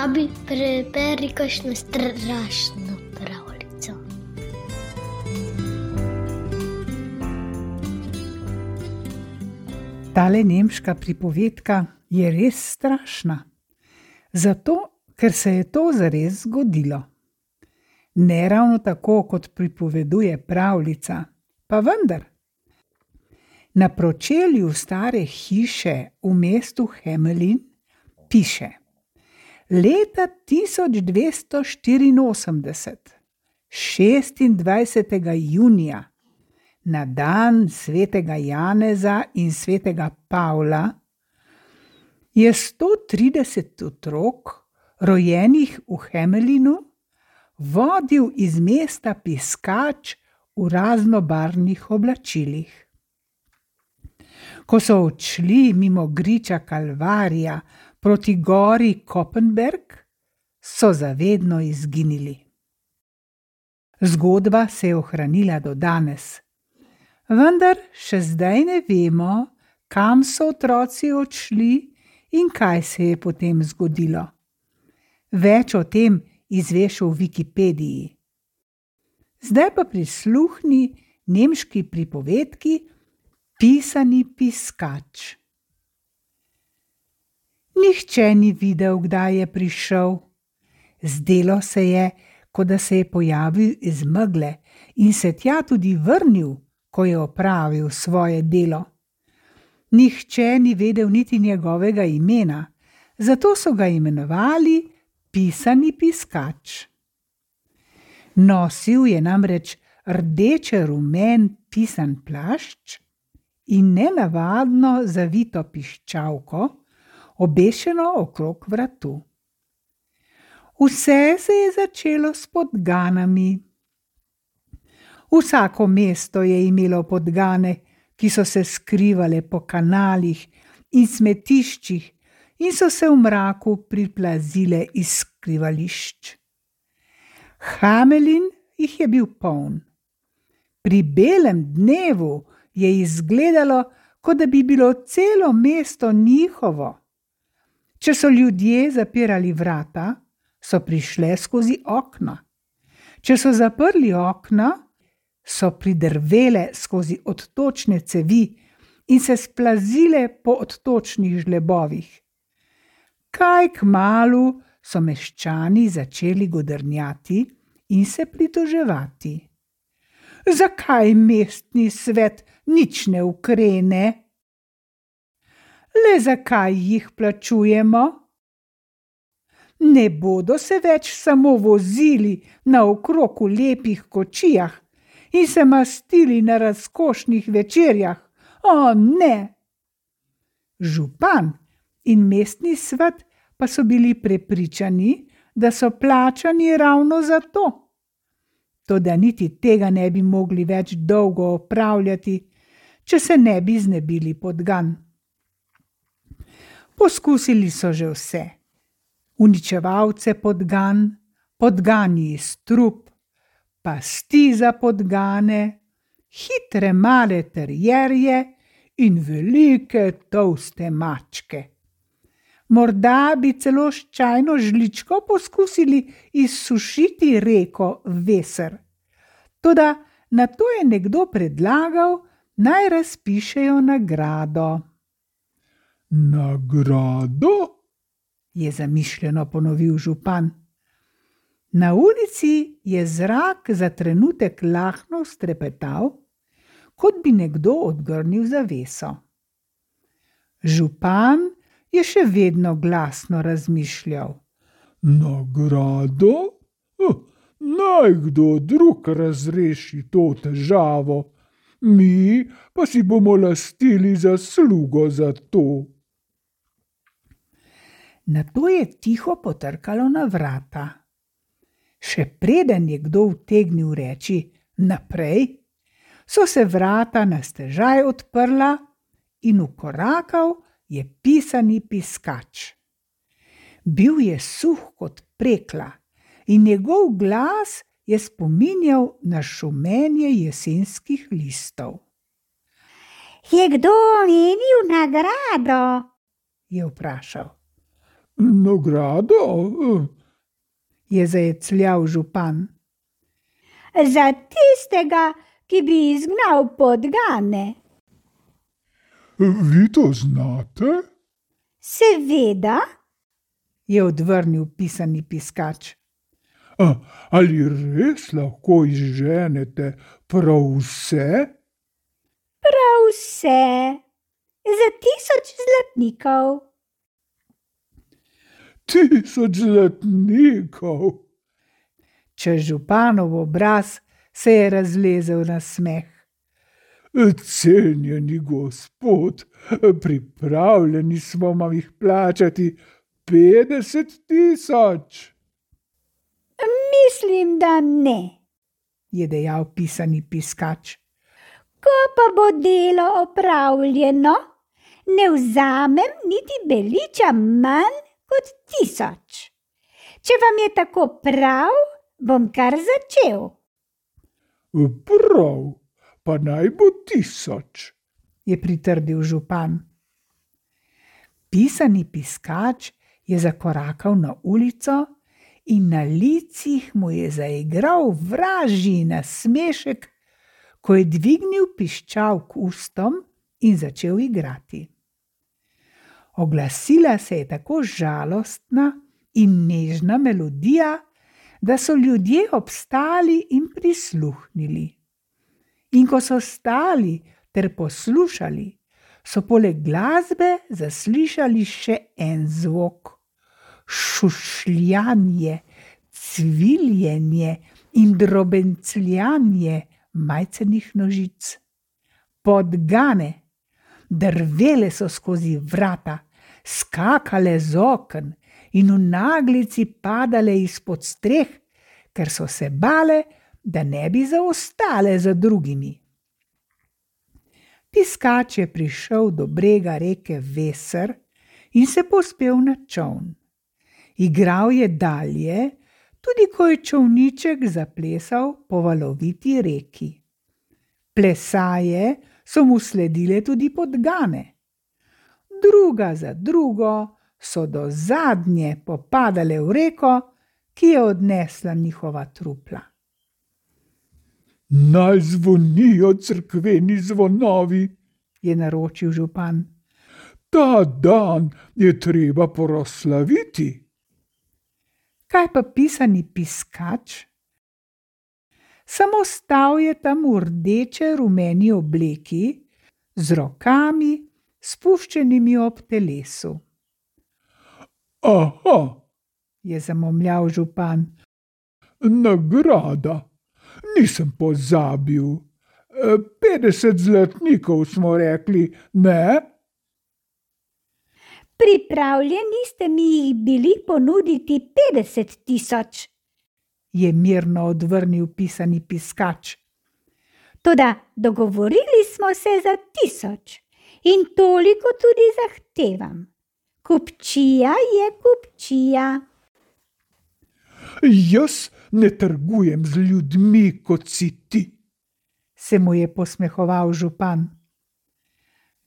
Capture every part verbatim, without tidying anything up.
Abi, preberi kakšno strašno pravljico. Tale nemška pripovedka je res strašna, zato ker se je to zares zgodilo. Ne ravno tako, kot pripoveduje pravljica, pa vendar. Na pročelju stare hiše v mestu Hamelin piše: Leta tisoč dvesto štiriinosemdeset, šestindvajsetega junija, na dan svetega Janeza in svetega Pavla, je sto trideset otrok, rojenih v Hamelinu, vodil iz mesta piskač v raznobarvnih oblačilih. Ko so odšli mimo griča Kalvarija proti gori Kopenberg, so zavedno izginili. Zgodba se je ohranila do danes, vendar še zdaj ne vemo, kam so otroci odšli in kaj se je potem zgodilo. Več o tem izveš v Wikipediji. Zdaj pa prisluhni nemški pripovedki Pisani piskač. Nihče ni videl, kdaj je prišel. Zdelo se je, kot da se je pojavil iz megle in se tja tudi vrnil, ko je opravil svoje delo. Nihče ni vedel niti njegovega imena, zato so ga imenovali Pisani piskač. Nosil je namreč rdeče-rumen pisan plašč in nenavadno zavito piščalko, obešeno okrog vratu. Vse se je začelo s podganami. Vsako mesto je imelo podgane, ki so se skrivale po kanalih in smetiščih in so se v mraku priplazile iz skrivališč. Hamelin jih je bil poln. Pri belem dnevu je izgledalo, kot da bi bilo celo mesto njihovo. Če so ljudje zapirali vrata, so prišle skozi okna. Če so zaprli okna, so pridrvele skozi odtočne cevi in se splazile po odtočnih žlebovih. Kaj kmalu so meščani začeli godrnjati in se pritoževati. Zakaj mestni svet nič ne ukrene? Le zakaj jih plačujemo? Ne bodo se več samo vozili naokrog v lepih kočijah in se mastili na razkošnih večerjah. O, ne! Župan in mestni svet pa so bili prepričani, da so plačani ravno za to. Toda niti tega ne bi mogli več dolgo opravljati, če se ne bi znebili podgan. Poskusili so že vse. Uničevalce podgan, podgani iz trup, pasti za podgane, hitre male terjerje in velike tolste mačke. Morda bi celo s čajno žličko poskusili izsušiti reko Weser. Toda na to je nekdo predlagal, naj razpišejo nagrado. Nagrado? Je zamišljeno ponovil župan. Na ulici je zrak za trenutek lahno strepetal, kot bi nekdo odgrnil zaveso. Župan je še vedno glasno razmišljal. Nagrado? Naj kdo drug razreši to težavo, mi pa si bomo lastili zaslugo za to. Nato je tiho potrkalo na vrata. Še preden je kdo utegnil reči naprej, so se vrata na stežaj odprla in vkorakal je pisani piskač. Bil je suh kot prekla in njegov glas je spominjal na šumenje jesenskih listov. Je kdo omenil nagrado? Je vprašal. Nagrado? Je zajecljal župan. Za tistega, ki bi izgnal podgane. Vi to znate? Seveda. Je odvrnil pisani piskač. A, ali res lahko izženete prav vse? Prav vse. Za tisoč zlatnikov. Tisoč zlatnikov. Čez županov obraz se je razlezel na smeh. Cenjeni gospod, pripravljeni smo vam jih plačati petdeset tisoč. Mislim, da ne, je dejal pisani piskač. Ko pa bo delo opravljeno, ne vzamem niti beliča manj kot tisoč. Če vam je tako prav, bom kar začel. Prav, pa naj bo tisoč, je pritrdil župan. Pisani piskač je zakorakal na ulico in na licih mu je zaigral vražji nasmešek, ko je dvignil piščal k ustom in začel igrati. Oglasila se je tako žalostna in nežna melodija, da so ljudje obstali in prisluhnili. In ko so stali ter poslušali, so poleg glasbe zaslišali še en zvok. Šušljanje, cviljenje in drobencljanje majcenih nožic. Podgane, drvele so skozi vrata, skakale z oken in v naglici padale izpod streh, ker so se bale, da ne bi zaostale za drugimi. Piskač je prišel do brega reke Veser in se povzpel na čoln. Igral je dalje, tudi ko je čolniček zaplesal po valoviti reki. Plesaje so mu sledile tudi podgane. Druga za drugo so do zadnje popadale v reko, ki je odnesla njihova trupla. Naj zvonijo cerkveni zvonovi, je naročil župan. Ta dan je treba proslaviti. Kaj pa pisani piskač? Samo stal je tam v rdeče rumeni obleki, z rokami spuščenimi ob telesu. Aha, je zamomljal župan. Nagrada, nisem pozabil. petdeset zlatnikov smo rekli, ne? Pripravljeni ste mi jih bili ponuditi petdeset tisoč, je mirno odvrnil pisani piskač. Toda dogovorili smo se za tisoč in toliko tudi zahtevam. Kupčija je kupčija. Jaz ne trgujem z ljudmi, kot si ti, se mu je posmehoval župan.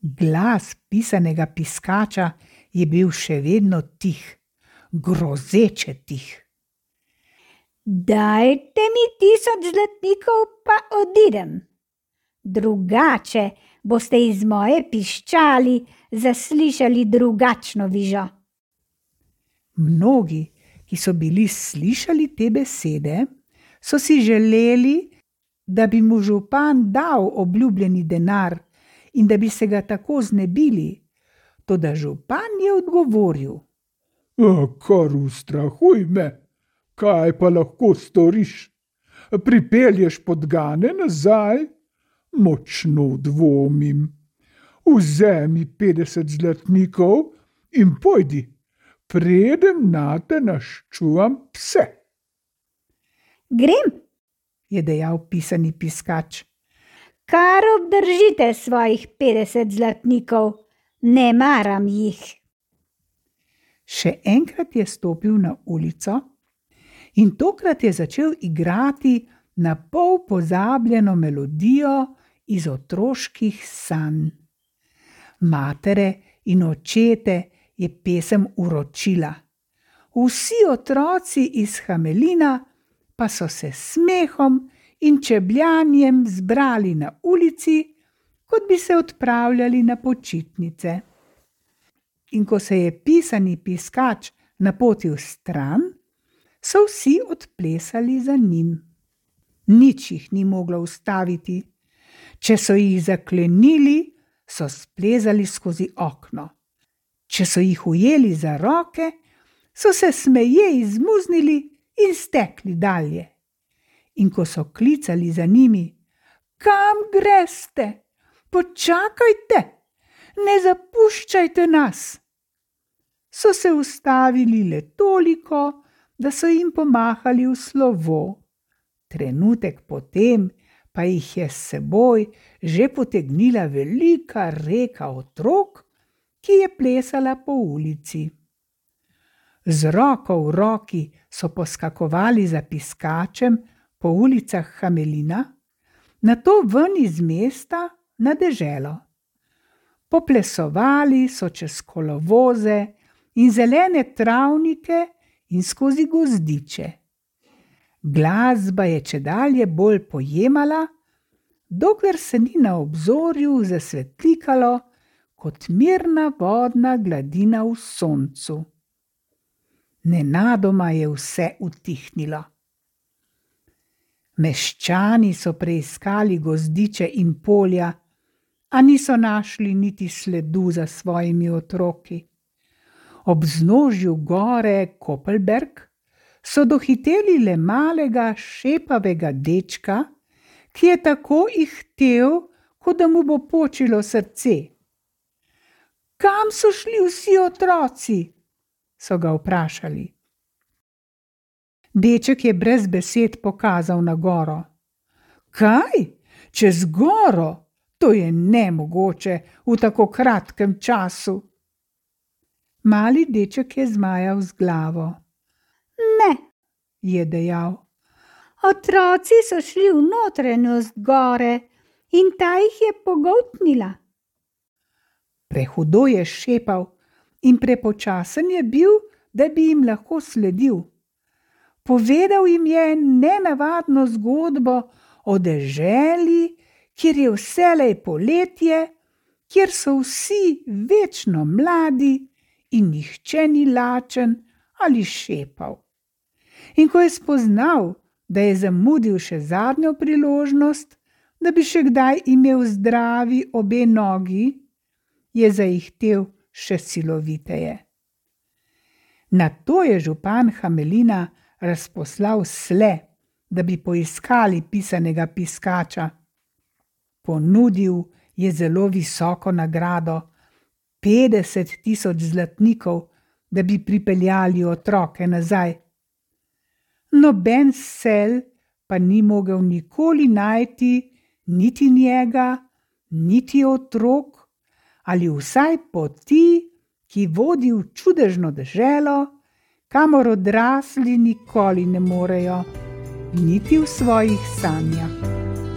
Glas pisanega piskača je bil še vedno tih, grozeče tih. Dajte mi tisoč zlatnikov, pa odidem. Drugače boste iz moje piščali zaslišali drugačno vižo. Mnogi, ki so bili slišali te besede, so si želeli, da bi mu župan dal obljubljeni denar in da bi se ga tako znebili, toda župan je odgovoril. Kar ustrahuj me, kaj pa lahko storiš? Pripelješ podgane nazaj? Močno dvomim. Vzemi petdeset zlatnikov in pojdi, predem nate naščuvam pse. Grem, je dejal pisani piskač. Kar obdržite svojih petdeset zlatnikov, ne maram jih. Še enkrat je stopil na ulico in tokrat je začel igrati na pol pozabljeno melodijo iz otroških sanj. Matere in očete je pesem uročila. Vsi otroci iz Hamelina pa so se smehom in čebljanjem zbrali na ulici, kot bi se odpravljali na počitnice. In ko se je pisani piskač napotil stran, so vsi odplesali za njim. Nič jih ni moglo ustaviti. Če so jih zaklenili, so splezali skozi okno. Če so jih ujeli za roke, so se smeje izmuznili in stekli dalje. In ko so klicali za njimi: "Kam greste? Počakajte, ne zapuščajte nas!" So se ustavili le toliko, da so jim pomahali v slovo. Trenutek potem pa jih je s seboj že potegnila velika reka otrok, ki je plesala po ulici. Z roko v roki so poskakovali za piskačem po ulicah Hamelina, nato ven iz mesta na deželo. Poplesovali so čez kolovoze in zelene travnike in skozi gozdiče. Glasba je čedalje bolj pojemala, dokler se ni na obzorju zasvetlikalo kot mirna vodna gladina v soncu. Nenadoma je vse utihnilo. Meščani so preiskali gozdiče in polja, a niso našli niti sledu za svojimi otroki. Ob vznožju gore Kopelberg so dohiteli le malega šepavega dečka, ki je tako ihtel, kot da mu bo počilo srce. "Kam so šli vsi otroci?" so ga vprašali. Deček je brez besed pokazal na goro. "Kaj? Čez goro? To je nemogoče v tako kratkem času." Mali deček je zmajal z glavo. "Ne," je dejal. "Otroci so šli v notranjost gore in ta jih je pogoltnila." Prehudo je šepal in prepočasen je bil, da bi jim lahko sledil. Povedal jim je nenavadno zgodbo o deželi, kjer je vselej poletje, kjer so vsi večno mladi in nihče ni lačen ali šepav. In ko je spoznal, da je zamudil še zadnjo priložnost, da bi še kdaj imel zdravi obe nogi, je zaihtel še siloviteje. Nato je župan Hamelina razposlal sle, da bi poiskali pisanega piskača. Ponudil je zelo visoko nagrado, petdeset tisoč zlatnikov, da bi pripeljali otroke nazaj. Noben sel pa ni mogel nikoli najti niti njega, niti otrok, ali vsaj poti, ki vodi v čudežno deželo, kamor odrasli nikoli ne morejo, niti v svojih sanjah.